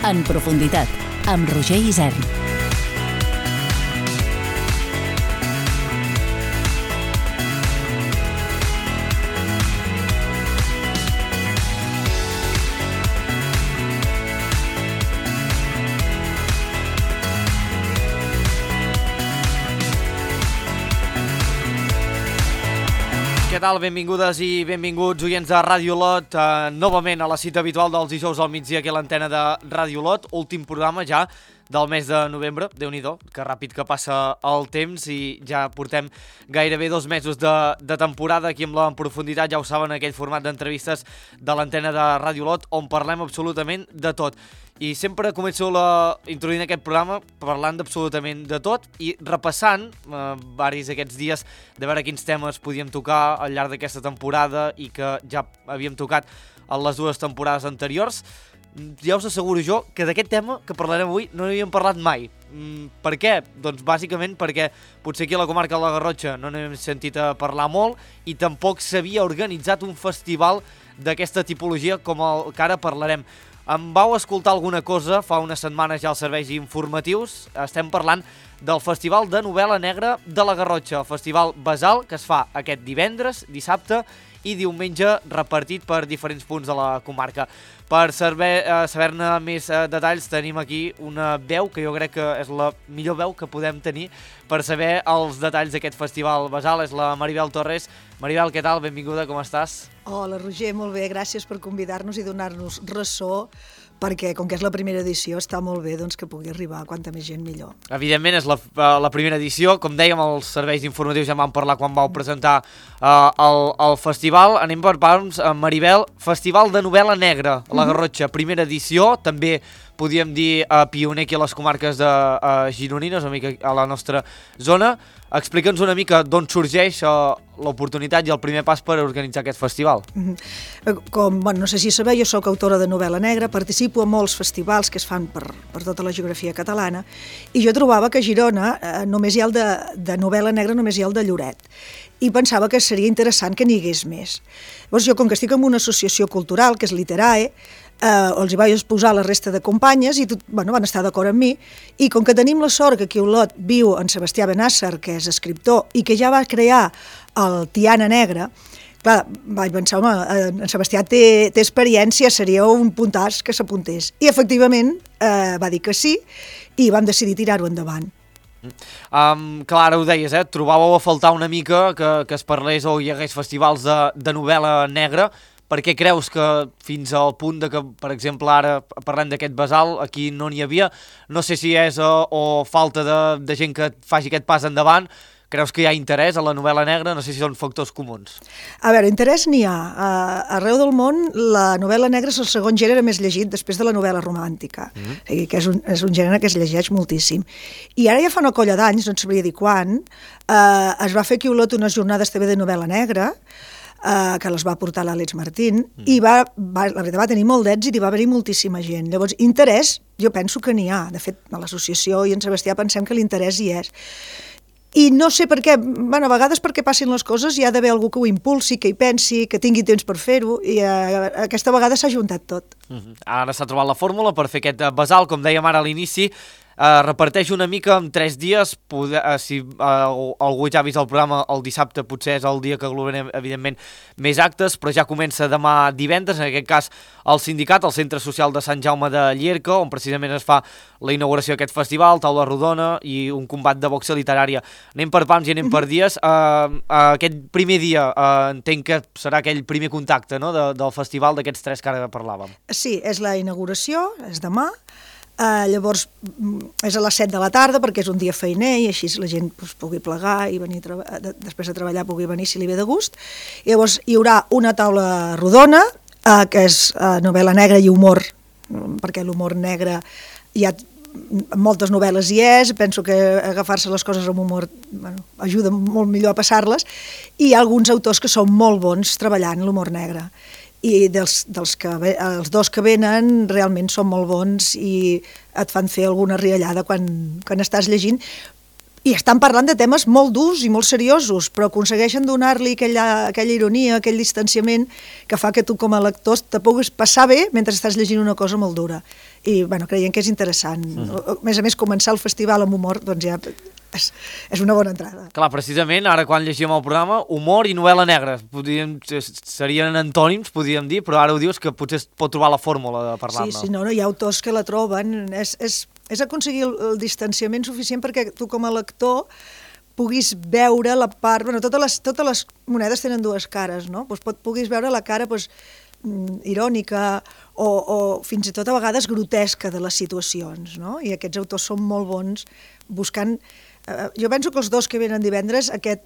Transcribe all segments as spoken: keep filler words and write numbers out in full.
En profunditat, amb Roger Isern. Què tal? Benvingudes i benvinguts, oients de Ràdio Olot, eh, novament a la cita habitual dels dijous al migdia aquí a l'antena de Ràdio Olot, últim programa ja del mes de novembre, Déu-n'hi-do, que ràpid que passa el temps i ja portem gairebé dos mesos de, de temporada aquí amb la En profunditat, ja ho saben, aquell format d'entrevistes de l'antena de Ràdio Olot on parlem absolutament de tot. I sempre començo la, introduint aquest programa parlant d'absolutament de tot i repassant eh, varis aquests dies de veure quins temes podíem tocar al llarg d'aquesta temporada i que ja havíem tocat en les dues temporades anteriors. Ja us asseguro jo que d'aquest tema que parlarem avui no n'havíem parlat mai. Mm, per què? Doncs bàsicament perquè potser aquí a la comarca de la Garrotxa no n'hem sentit a parlar molt i tampoc s'havia organitzat un festival d'aquesta tipologia com el que ara parlarem. Em vau escoltar alguna cosa fa unes setmanes ja als serveis informatius. Estem parlant del Festival de Novel·la Negra de la Garrotxa, el Festival Basal, que es fa aquest divendres, dissabte i diumenge, repartit per diferents punts de la comarca. Per saber, eh, saber-ne més eh, detalls tenim aquí una veu que jo crec que és la millor veu que podem tenir per saber els detalls d'aquest Festival Basal, és la Maribel Torres. Maribel, què tal? Benvinguda, com estàs? Hola, Roger, molt bé, gràcies per convidar-nos i donar-nos ressò, perquè com que és la primera edició està molt bé doncs, que pugui arribar a quanta més gent millor. Evidentment és la, la primera edició, com dèiem els serveis informatius ja vam parlar quan vau presentar uh, el, el festival. Anem per parts, uh, Maribel, Festival de Novel·la Negra a la Garrotxa, primera edició, també podíem dir uh, pioner aquí a les comarques de uh, gironines, una mica a la nostra zona. Explica'ns una mica d'on sorgeix uh, l'oportunitat i el primer pas per organitzar aquest festival. Com, bueno, no sé si sabeu, jo sóc autora de novel·la negra, participo a molts festivals que es fan per, per tota la geografia catalana i jo trobava que a Girona eh, només hi ha el de, de novel·la negra, només hi ha el de Lloret i pensava que seria interessant que n'hi hagués més. Llavors jo, com que estic en una associació cultural, que és Literae, Eh, els hi vaig exposar la resta de companyes i tot, bueno, van estar d'acord amb mi i com que tenim la sort que aquí a Olot viu en Sebastià Benàsser, que és escriptor i que ja va crear el Tiana Negra, clar, vaig pensar, home, en Sebastià té, té experiència, seria un puntàs que s'apuntés i efectivament eh, va dir que sí i vam decidir tirar-ho endavant. Um, clar, ara ho deies, eh? Trobàveu a faltar una mica que, que es parlés o hi hagués festivals de, de novel·la negra. Per què creus que fins al punt de que, per exemple, ara parlem d'aquest Basal, aquí no n'hi havia? No sé si és o, o falta de, de gent que faci aquest pas endavant. Creus que hi ha interès a la novel·la negra? No sé si són factors comuns. A veure, interès n'hi ha. Uh, arreu del món la novel·la negra és el segon gènere més llegit després de la novel·la romàntica, mm-hmm. o sigui, que és un, és un gènere que es llegeix moltíssim. I ara ja fa una colla d'anys, no et sabria dir quan, uh, es va fer aquí a Olot unes jornades també de novel·la negra, Uh, que les va portar l'Àlex Martín, mm. i va, va, la veritat va tenir molt d'èxit i va haver-hi moltíssima gent. Llavors, interès, jo penso que n'hi ha. De fet, a l'associació i en Sebastià pensem que l'interès hi és. I no sé per què, bueno, a vegades perquè passin les coses hi ha d'haver algú que ho impulsi, que hi pensi, que tingui temps per fer-ho, i uh, aquesta vegada s'ha juntat tot. Mm-hmm. Ara s'ha trobat la fórmula per fer aquest Basal, com dèiem ara a l'inici. Uh, reparteix una mica en tres dies, poder, uh, si uh, algú ja ha vist el programa el dissabte potser és el dia que aglomerem evidentment més actes, però ja comença demà divendres, en aquest cas el sindicat, el Centre Social de Sant Jaume de Llierca, on precisament es fa la inauguració d'aquest festival, taula rodona i un combat de boxa literària. Anem per pams i anem per dies. Uh, uh, aquest primer dia uh, entenc que serà aquell primer contacte, no?, de, del festival d'aquests tres que ara parlàvem. Sí, és la inauguració, és demà. Uh, llavors és a les set de la tarda perquè és un dia feiner i així la gent pues, pugui plegar i venir de, després de treballar pugui venir si li ve de gust. I llavors hi haurà una taula rodona uh, que és uh, novel·la negra i humor, perquè l'humor negre hi ha moltes novel·les hi és, penso que agafar-se les coses amb humor bueno, ajuda molt millor a passar-les, i hi ha alguns autors que són molt bons treballant l'humor negre. I dels, dels que, els dos que venen realment són molt bons i et fan fer alguna riallada quan, quan estàs llegint, i estan parlant de temes molt durs i molt seriosos, però aconsegueixen donar-li aquella, aquella ironia, aquell distanciament que fa que tu com a lector te puguis passar bé mentre estàs llegint una cosa molt dura. I bueno, creiem que és interessant. Mm. A més a més, començar el festival amb humor doncs ja és, és una bona entrada. Clar, precisament, ara quan llegíem el programa, humor i novel·la negra. Podríem, serien antònims, podríem dir, però ara ho dius que potser es pot trobar la fórmula de parlar-ne. Sí, sí, no, no, hi ha autors que la troben. És, és, és aconseguir el, el distanciament suficient perquè tu com a lector puguis veure la part... Bueno, totes les, totes les monedes tenen dues cares, no? Pues pot, puguis veure la cara pues, irònica o, o fins i tot a vegades grotesca de les situacions, no? I aquests autors són molt bons buscant... Eh, jo penso que els dos que venen divendres, aquest...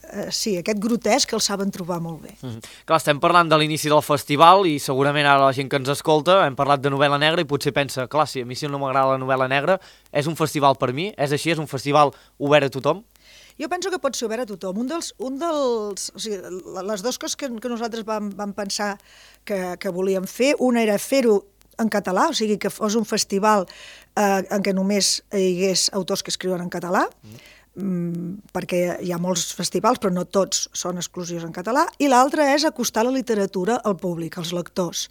Uh, sí, aquest grotesc el saben trobar molt bé. Mm-hmm. Clar, estem parlant de l'inici del festival i segurament ara la gent que ens escolta hem parlat de novel·la negra i potser pensa, clar, si a mi si no m'agrada la novel·la negra, és un festival per mi? És així? És un festival obert a tothom? Jo penso que pot ser obert a tothom. Un dels, un dels, o sigui, les dues coses que, que nosaltres vam, vam pensar que, que volíem fer, una era fer-ho en català, o sigui, que fos un festival eh, en què només hi hagués autors que escriuen en català, mm. perquè hi ha molts festivals, però no tots són exclusius en català, i l'altra és acostar la literatura al públic, als lectors.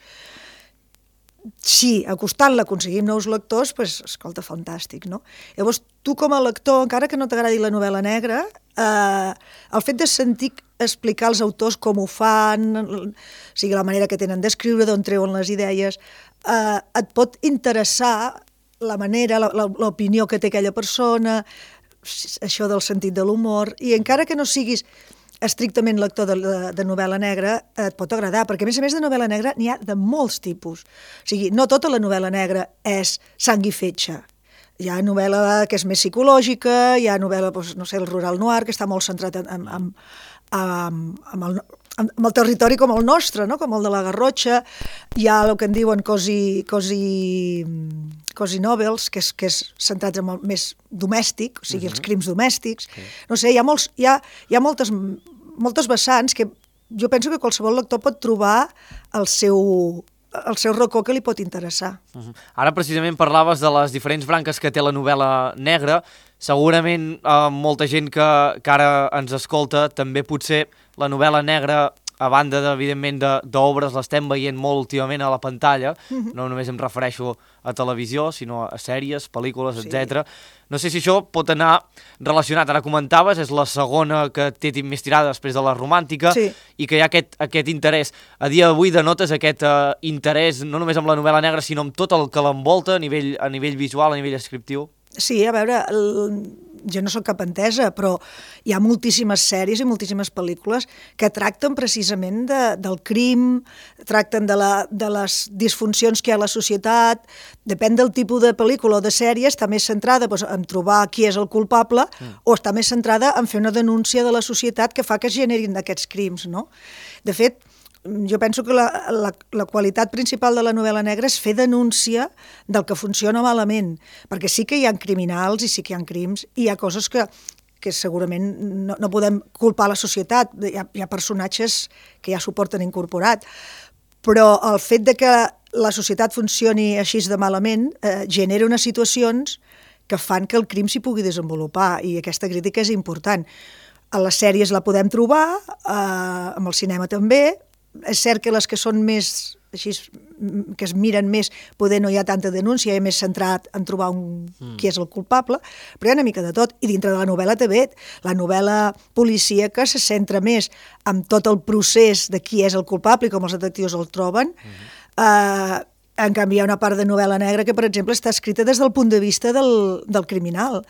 Si acostant-la aconseguim nous lectors, doncs, escolta, fantàstic, no? Llavors, tu com a lector, encara que no t'agradi la novel·la negra, eh, el fet de sentir explicar als autors com ho fan, o sigui, la manera que tenen d'escriure, d'on treuen les idees, eh, et pot interessar la manera, l'opinió que té aquella persona, això del sentit de l'humor, i encara que no siguis estrictament lector de, de, de novel·la negra, et pot agradar, perquè a més a més de novel·la negra n'hi ha de molts tipus. O sigui, no tota la novel·la negra és sang i fetge. Hi ha novel·la que és més psicològica, hi ha novel·la, doncs, no sé, el rural noir, que està molt centrat en, en, en, en, en, el, en el territori com el nostre, no? Com el de la Garrotxa. Hi ha el que en diuen cosi... cosi cosi novels, que és, que és centrats en el més domèstic, o sigui, uh-huh. els crims domèstics. Okay. No sé, hi ha, molts, hi ha, hi ha moltes, moltes vessants que jo penso que qualsevol lector pot trobar el seu, el seu racó que li pot interessar. Uh-huh. Ara precisament parlaves de les diferents branques que té la novel·la negra. Segurament eh, molta gent que, que ara ens escolta també potser la novel·la negra, a banda, evidentment, d'obres, l'estem veient molt últimament a la pantalla, uh-huh. no només em refereixo a televisió, sinó a sèries, pel·lícules, sí. etcètera. No sé si això pot anar relacionat, ara comentaves, és la segona que té més tirada després de la romàntica, sí. i que hi ha aquest, aquest interès. A dia d'avui denotes aquest uh, interès no només amb la novel·la negra, sinó amb tot el que l'envolta a nivell, a nivell visual, a nivell descriptiu? Sí, a veure, el... jo no soc cap entesa, però hi ha moltíssimes sèries i moltíssimes pel·lícules que tracten precisament de, del crim, tracten de, la, de les disfuncions que hi ha a la societat, depèn del tipus de pel·lícula o de sèrie, està més centrada doncs, en trobar qui és el culpable mm. o està més centrada en fer una denúncia de la societat que fa que es generin aquests crims, no? De fet, jo penso que la, la, la qualitat principal de la novel·la negra és fer denúncia del que funciona malament, perquè sí que hi ha criminals i sí que hi ha crims, i hi ha coses que, que segurament no, no podem culpar la societat, hi ha, hi ha personatges que ja s'ho porten incorporat, però el fet de que la societat funcioni així de malament eh, genera unes situacions que fan que el crim s'hi pugui desenvolupar, i aquesta crítica és important. A les sèries la podem trobar, eh, amb el cinema també. És cert que les que són més, així, que es miren més, poder no hi ha tanta denúncia, hi ha més centrat en trobar un, mm. qui és el culpable, però hi ha una mica de tot. I dintre de la novel·la també, la novel·la policíaca se centra més en tot el procés de qui és el culpable i com els detectius el troben. Mm. Eh, en canvi, hi ha una part de novel·la negra que, per exemple, està escrita des del punt de vista del, del criminal,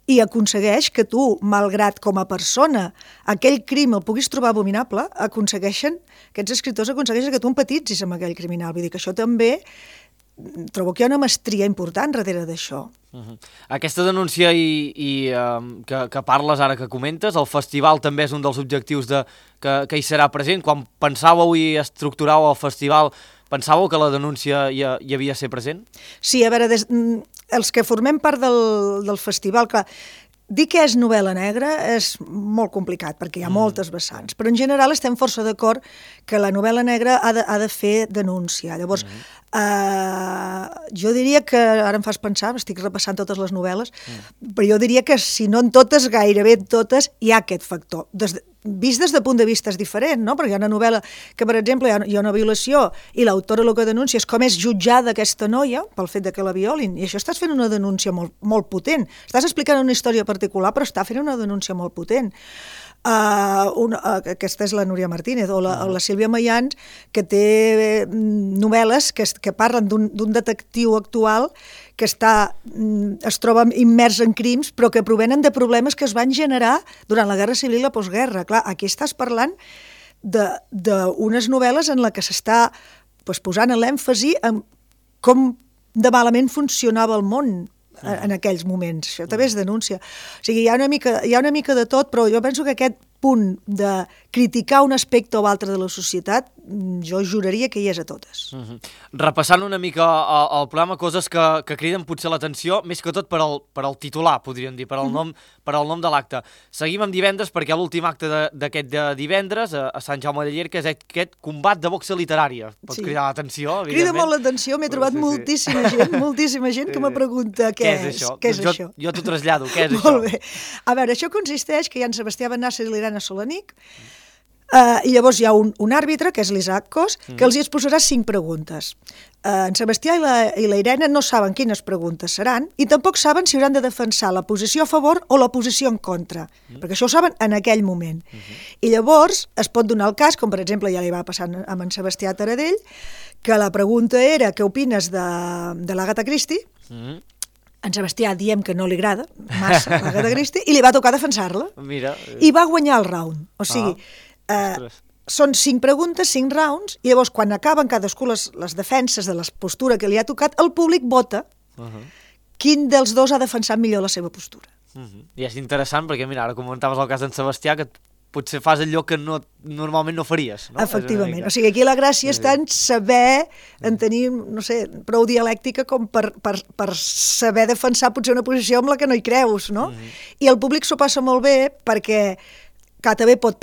i aconsegueix que tu, malgrat com a persona, aquell crim el puguis trobar abominable, aconsegueixen, aquests escriptors aconsegueixen que tu empatitzis amb aquell criminal. Vull dir que això també, trobo que hi ha una mestria important darrere d'això. Uh-huh. Aquesta denúncia i, i, um, que, que parles ara, que comentes, el festival també és un dels objectius de, que, que hi serà present. Quan pensàveu i estructuràveu el festival, pensàveu que la denúncia hi, hi havia de ser present? Sí, a veure, des, els que formem part del, del festival, clar, dir què és novel·la negra és molt complicat, perquè hi ha moltes vessants, però en general estem força d'acord que la novel·la negra ha de, ha de fer denúncia. Llavors, mm. eh, jo diria que, ara em fas pensar, estic repassant totes les novel·les, mm. però jo diria que si no en totes, gairebé en totes, hi ha aquest factor. Des de, vist des de punt de vista és diferent, no? Perquè hi ha una novel·la que, per exemple, hi ha, hi ha una violació i l'autora el que denuncia és com és jutjada aquesta noia pel fet de que la violin, i això estàs fent una denúncia molt, molt potent. Estàs explicant una història particular, però està fent una denúncia molt potent. Uh, una, uh, aquesta és la Núria Martínez o la, o la Sílvia Mayans, que té novel·les que, que parlen d'un detectiu actual que està, es troba immers en crims, però que provenen de problemes que es van generar durant la Guerra Civil i la postguerra. Clar, aquí estàs parlant d'unes novel·les en la que s'està pues, posant l'èmfasi en com de malament funcionava el món en aquells moments. Això també és denúncia. O sigui, hi ha una mica, hi ha una mica de tot, però jo penso que aquest punt de criticar un aspecte o altre de la societat, jo juraria que hi és a totes. Uh-huh. Repassant una mica el, el programa, coses que, que criden potser l'atenció, més que tot per al, per al titular, podríem dir, per al nom, per al nom de l'acte. Seguim amb divendres, perquè l'últim acte d'aquest de, de divendres, a, a Sant Jaume de Llierca, és aquest combat de boxa literària. Pot sí. cridar l'atenció, evidentment. Crida molt l'atenció, m'he trobat sí, sí. moltíssima gent, moltíssima gent que me pregunta què, què és, és això. Què és jo, això? Jo t'ho trasllado, què és molt això? Molt bé. A veure, això consisteix que hi ha en Sebastià Benasser i l'Irene Solanic, Uh, i llavors hi ha un, un àrbitre, que és l'Isaac Cos, que mm. els hi exposarà cinc preguntes. Uh, en Sebastià i la, i la Irene no saben quines preguntes seran i tampoc saben si hauran de defensar la posició a favor o la posició en contra, mm. perquè això ho saben en aquell moment. Mm -hmm. I llavors es pot donar el cas, com per exemple ja li va passar amb en Sebastià Taradell, que la pregunta era què opines de, de l'Agatha Christie, mm. En Sebastià diem que no li agrada massa l'Agatha Christie i li va tocar defensar-la. Mira. I va guanyar el round. O sigui, ah. Uh, són cinc preguntes, cinc rounds, i llavors quan acaben cadascú les, les defenses de la postura que li ha tocat, el públic vota uh -huh. quin dels dos ha defensat millor la seva postura. Uh -huh. I és interessant perquè, mira, ara comentaves el cas d'en Sebastià, que potser fas allò que no, normalment no faries. No? Efectivament. O sigui, aquí la gràcia està en saber, en tenir, no sé, prou dialèctica com per, per, per saber defensar potser una posició amb la que no hi creus, no? Uh -huh. I el públic s'ho passa molt bé perquè que també pot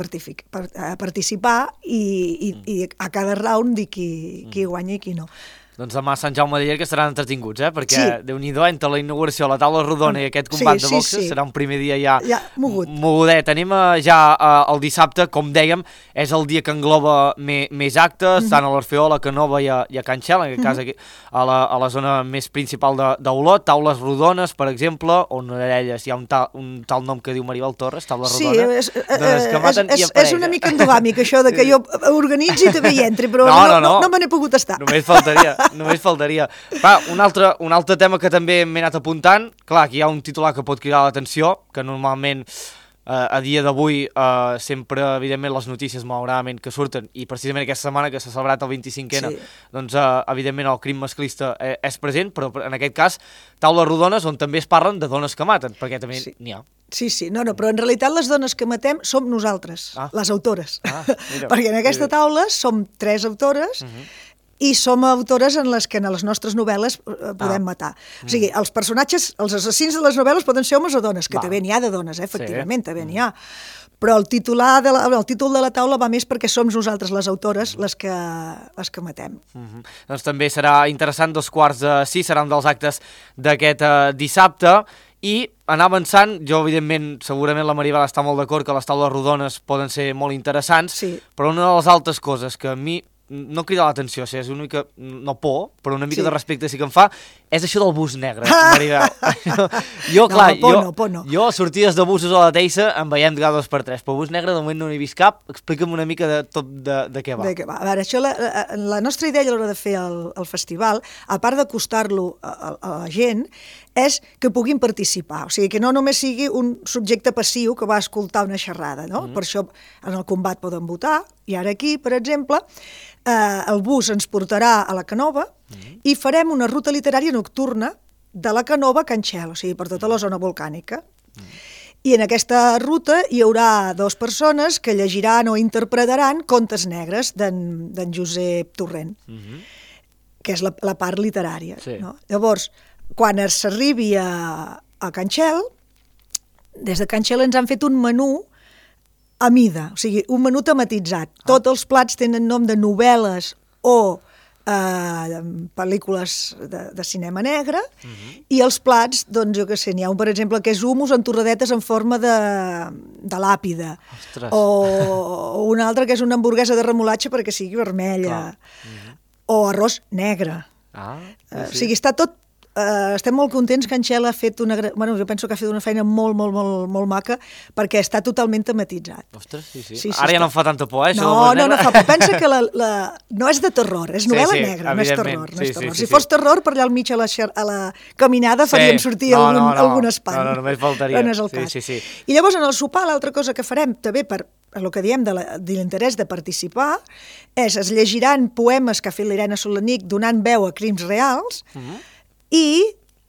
participar i, i, i a cada round dir qui, qui guanya i qui no. Doncs demà a Sant Jaume de Llierca estaran entretinguts, eh? Perquè sí. Déu-n'hi-do, entre la inauguració, la taula rodona i aquest combat sí, de boxes, sí, sí. serà un primer dia ja, ja mogut. mogudet. Anem a, ja a, el dissabte, com dèiem, és el dia que engloba me, més actes, mm -hmm. tant a l'Orfeó, a Canova i a, i a Can Xel, en aquest mm -hmm. cas aquí, a, la, a la zona més principal d'Olot, taules rodones, per exemple, on a elles hi ha un tal, un tal nom que diu Maribel Torres, taula sí, rodona, és, dones que maten és, i apareix. És una mica endogàmic, això de que jo organitzi i també hi entri, però no, no, no, no. no, no me n'he pogut estar. Només faltaria, només faltaria. Va, un altre, un altre tema que també m'he anat apuntant, clar, aquí hi ha un titular que pot cridar l'atenció, que normalment eh, a dia d'avui eh, sempre, evidentment, les notícies malauradament que surten, i precisament aquesta setmana que s'ha celebrat el vint-i-cinquè, sí. doncs eh, evidentment el crim masclista eh, és present, però en aquest cas taules rodones on també es parlen de dones que maten, perquè també sí. n'hi ha. Sí, sí, no, no, però en realitat les dones que matem som nosaltres, ah. les autores, ah, mira, perquè en aquesta mira. taula som tres autores, uh -huh. i som autores en les que en les nostres novel·les eh, podem ah. matar. O sigui, els personatges, els assassins de les novel·les poden ser homes o dones, que Va. també n'hi ha de dones, eh, efectivament, sí. també n'hi ha. Però el, titular de la, el títol de la taula va més perquè som nosaltres, les autores, les que, les que matem. Uh -huh. Doncs també serà interessant, dos quarts de sis, seran dels actes d'aquest uh, dissabte, i anar avançant, jo evidentment, segurament la Maribel està molt d'acord que les taules rodones poden ser molt interessants, sí. però una de les altres coses que a mi no crida l'atenció, o sigui, és una mica, no por, però una mica sí. de respecte sí que em fa, és això del bus negre, Maribel. jo, clar, no, por jo, no, por no. jo sortides de busos a la Teissa en veiem cada dos per tres, però el bus negre de moment no n'he vist cap. Explica'm una mica de tot de, de què va. De què va. A veure, això, la, la nostra idea a l'hora de fer el, el festival, a part d'acostar-lo a, a, a la gent, és que puguin participar, o sigui, que no només sigui un subjecte passiu que va escoltar una xerrada, no? Mm. Per això en el combat poden votar, i ara aquí, per exemple, eh, el bus ens portarà a la Canova mm. i farem una ruta literària nocturna de la Canova a Can Xel, o sigui, per tota la zona volcànica. Mm. I en aquesta ruta hi haurà dues persones que llegiran o interpretaran contes negres d'en Josep Torrent, mm -hmm. que és la, la part literària. Sí. No? Llavors, quan s'arribi a, a Can Xel, des de Can Xela ens han fet un menú a mida, o sigui, un menú tematitzat. Ah. Tots els plats tenen nom de novel·les o eh, pel·lícules de, de cinema negre, uh-huh. i els plats, doncs jo què sé, n'hi ha un, per exemple, que és humus amb torradetes en forma de, de làpida. Ostres. O, o un altre que és una hamburguesa de remolatge perquè sigui vermella. Uh-huh. O arròs negre. Ah, sí, sí. Uh, o sigui, està tot... Uh, estem molt contents que en Xela ha fet una... Bueno, jo penso que ha fet una feina molt, molt, molt, molt maca perquè està totalment tematitzat. Ostres, sí, sí. sí, sí Ara ja està... no em fa tanta por, eh? No, no, no fa por. Pensa que la, la... no és de terror, és novel·la sí, sí, negra, no és terror. No sí, és terror. sí, sí, si sí. fos terror, per allà al mig a la, xer... a la caminada sí. farien sortir no, algun, no, no. algun espant. No, no, només faltaria. No és el sí, cas. sí, sí. I llavors, en el sopar, l'altra cosa que farem, també per el que diem de l'interès de participar, és es llegiran poemes que ha fet l'Irene Solanic donant veu a crims reals, uh-huh. i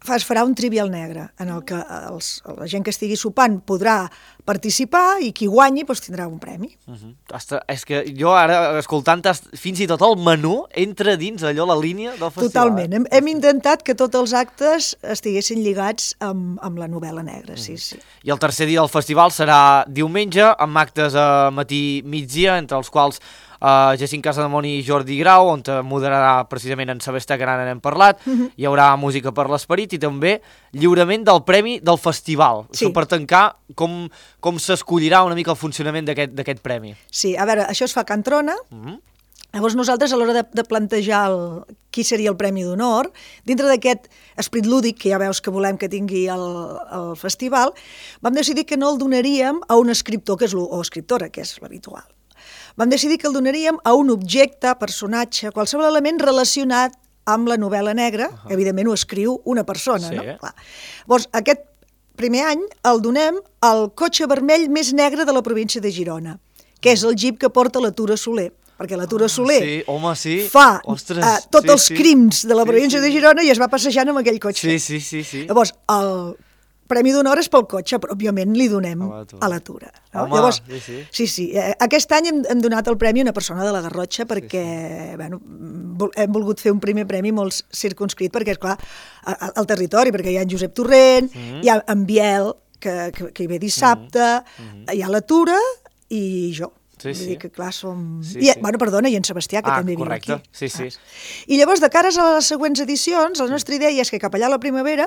es farà un trivial negre, en el que els, la gent que estigui sopant podrà participar i qui guanyi doncs, tindrà un premi. Uh-huh. Hasta, és que jo ara, escoltant fins i tot el menú, entra dins allò la línia del festival. Totalment. Hem, hem intentat que tots els actes estiguessin lligats amb, amb la novel·la negra, sí, sí. I el tercer dia del festival serà diumenge, amb actes a matí migdia, entre els quals Uh, Jacint Casademont i Jordi Grau, on moderarà precisament en Sebastià, que ara n'hem parlat. Uh-huh. Hi haurà música per l'esperit i també lliurament del premi del festival. Sí. Això per tancar, com, com s'escollirà una mica el funcionament d'aquest premi. Sí, a veure, això es fa a Can Trona. Uh-huh. Llavors nosaltres, a l'hora de, de plantejar el, qui seria el Premi d'Honor, dintre d'aquest esperit lúdic que ja veus que volem que tingui el, el festival, vam decidir que no el donaríem a un escriptor, que és o escriptora, que és l'habitual. Vam decidir que el donaríem a un objecte, personatge, qualsevol element relacionat amb la novel·la negra, uh-huh. evidentment ho escriu una persona, sí. no? Clar. Llavors, aquest primer any el donem al cotxe vermell més negre de la província de Girona, que és el jeep que porta la Tura Soler, perquè la Tura Soler ah, sí. Home, sí. fa Ostres, uh, tots sí, els sí. crims de la província sí, sí. de Girona i es va passejant amb aquell cotxe. Sí, sí, sí. sí. Llavors, el Premi d'Honor és pel cotxe, però òbviament li donem a la Tura. No? Home, Llavors, sí, sí. sí, sí. Aquest any hem, hem donat el premi a una persona de la Garrotxa perquè sí, sí. Bueno, hem volgut fer un primer premi molt circunscrit perquè, esclar, al territori, perquè hi ha en Josep Torrent, mm-hmm. hi ha en Biel, que, que, que hi ve dissabte, mm-hmm. hi ha la Tura i jo. Sí, Vull sí. dir que, clar, som... Sí, I, sí. Bueno, perdona, i en Sebastià, que ah, també viu correcte. aquí. Sí, sí. Ah. I llavors, de cares a les següents edicions, la nostra idea és que cap allà a la primavera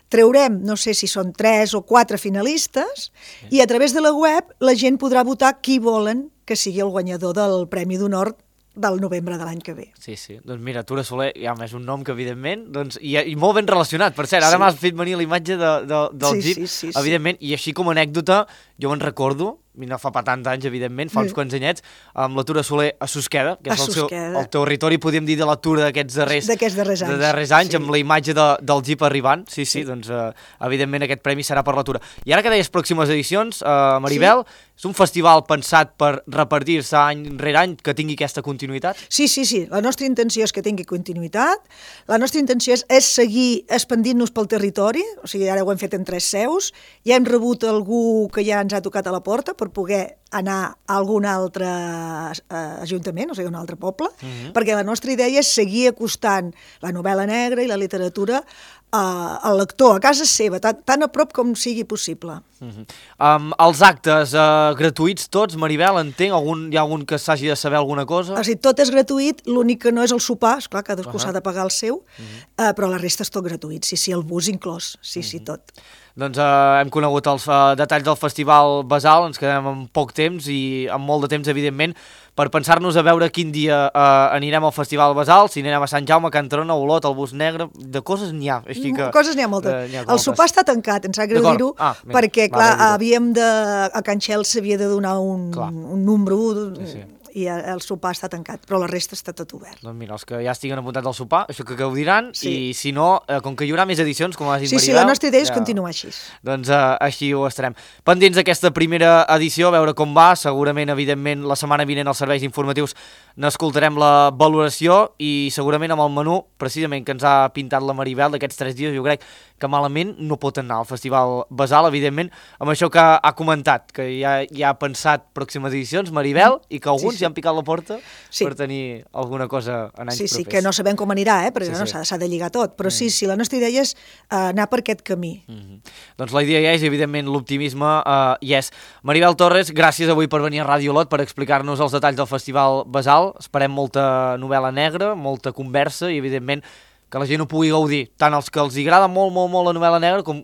traurem, no sé si són tres o quatre finalistes, sí. i a través de la web la gent podrà votar qui volen que sigui el guanyador del Premi d'Honor del novembre de l'any que ve. Sí, sí. Doncs mira, Tura Soler, ja és un nom que evidentment, doncs, i, i molt ben relacionat, per cert, ara sí. m'has fet venir la imatge de, de, del sí, jeep, sí, sí, evidentment, sí. I així com a anècdota, jo me'n recordo, i no fa pa tants anys, evidentment, fa uns sí. quants anyets, amb la Tura Soler a Susqueda, que és el, seu, el territori, podríem dir, de la Tura d'aquests darrers, darrers anys, de darrers anys sí. amb la imatge de, del jeep arribant. Sí, sí, sí. doncs uh, evidentment aquest premi serà per la Tura. I ara que deies pròximes edicions, uh, Maribel, sí. és un festival pensat per repartir-se any rere any, que tingui aquesta continuïtat? Sí, sí, sí. La nostra intenció és que tingui continuïtat. La nostra intenció és, és seguir expandint-nos pel territori, o sigui, ara ho hem fet en tres seus, ja hem rebut algú que ja ens ha tocat a la porta per poder anar a algun altre eh, ajuntament, o sigui, un altre poble, uh-huh. perquè la nostra idea és seguir acostant la novel·la negra i la literatura eh, al lector, a casa seva, tan, tan a prop com sigui possible. Uh-huh. um, els actes uh, gratuïts tots, Maribel, entenc? Algun, hi ha algun que s'hagi de saber alguna cosa? O sigui, tot és gratuït, l'únic que no és el sopar, esclar, cadascú uh-huh. s'ha de pagar el seu, uh-huh. eh, però la resta és tot gratuït, sí, sí, el bus inclòs, sí, uh-huh. sí, tot. Doncs eh, hem conegut els uh, detalls del Festival Basal, ens quedem amb poc temps i amb molt de temps, evidentment, per pensar-nos a veure quin dia eh, anirem al Festival Basal, si anirem a Sant Jaume, a Can Trona, a Olot, al Bus Negre, de coses n'hi ha. Així que, coses n'hi ha moltes. Eh, ha el sopar està tancat, ens sap greu dir-ho, ah, perquè, clar, havíem de... A Can Xel s'havia de donar un, un número... Sí, sí. I el sopar està tancat, però la resta està tot obert. Doncs mira, els que ja estiguen apuntats al sopar, això que gaudiran, sí. i si no, eh, com que hi haurà més edicions, com has dit, sí, Maribel... Sí, sí, la nostra idea és ja... continuar així. Doncs eh, així ho estarem. Pendents d'aquesta primera edició, a veure com va, segurament, evidentment, la setmana vinent als serveis informatius n'escoltarem la valoració i segurament amb el menú, precisament, que ens ha pintat la Maribel d'aquests tres dies, jo crec que malament no pot anar al Festival Basal, evidentment, amb això que ha comentat, que ja, ja ha pensat pròximes edicions, Maribel, i que alguns ja han picat la porta sí. per tenir alguna cosa en anys sí, propers. Sí, que no sabem com anirà, eh? perquè sí, no, sí. s'ha de lligar tot, però mm. sí, sí, la nostra idea és uh, anar per aquest camí. Mm-hmm. Doncs la idea ja és, evidentment, l'optimisme uh, hi és. Maribel Torres, gràcies avui per venir a Ràdio Olot per explicar-nos els detalls del Festival Basal. Esperem molta novel·la negra, molta conversa i, evidentment, que la gent ho pugui gaudir, tant els que els agrada molt, molt, molt la novel·la negra, com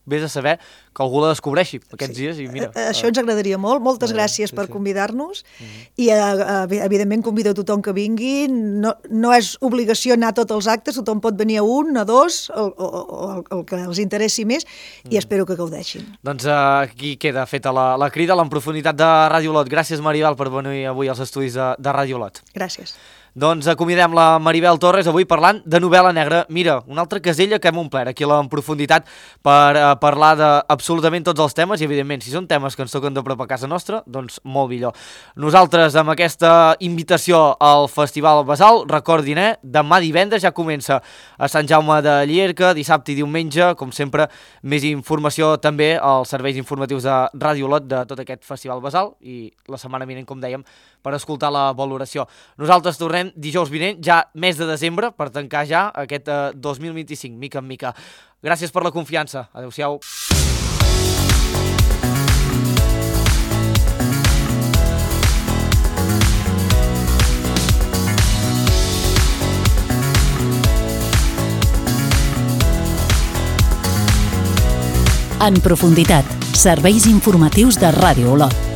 vés a saber que algú la descobreixi aquests sí. dies. I mira, això ens agradaria molt. Moltes uh, gràcies sí, per sí. convidar-nos uh-huh. i, uh, evidentment, convido a tothom que vingui. No, no és obligació anar a tots els actes, tothom pot venir a un, a dos, o, o, o el que els interessi més, uh-huh. i espero que gaudeixin. Doncs uh, aquí queda feta la, la crida, la en profunditat de Ràdio Olot. Gràcies, Maribel, per venir avui als estudis de, de Ràdio Olot. Gràcies. Doncs acomidem la Maribel Torres avui parlant de novel·la negra. Mira, una altra casella que hem omplert aquí en profunditat per uh, parlar d'absolutament tots els temes i, evidentment, si són temes que ens toquen de prop a casa nostra, doncs molt millor. Nosaltres, amb aquesta invitació al Festival Basal, recordin, eh, demà divendres ja comença a Sant Jaume de Llierca, dissabte i diumenge, com sempre, més informació també als serveis informatius de Ràdio Olot de tot aquest Festival Basal i la setmana vinent, com dèiem, per escoltar la valoració. Nosaltres tornem dijous vinent, ja mes de desembre, per tancar ja aquest eh, dos mil vint-i-cinc, mica en mica. Gràcies per la confiança. Adéu-siau. En profunditat, serveis informatius de Ràdio Olot.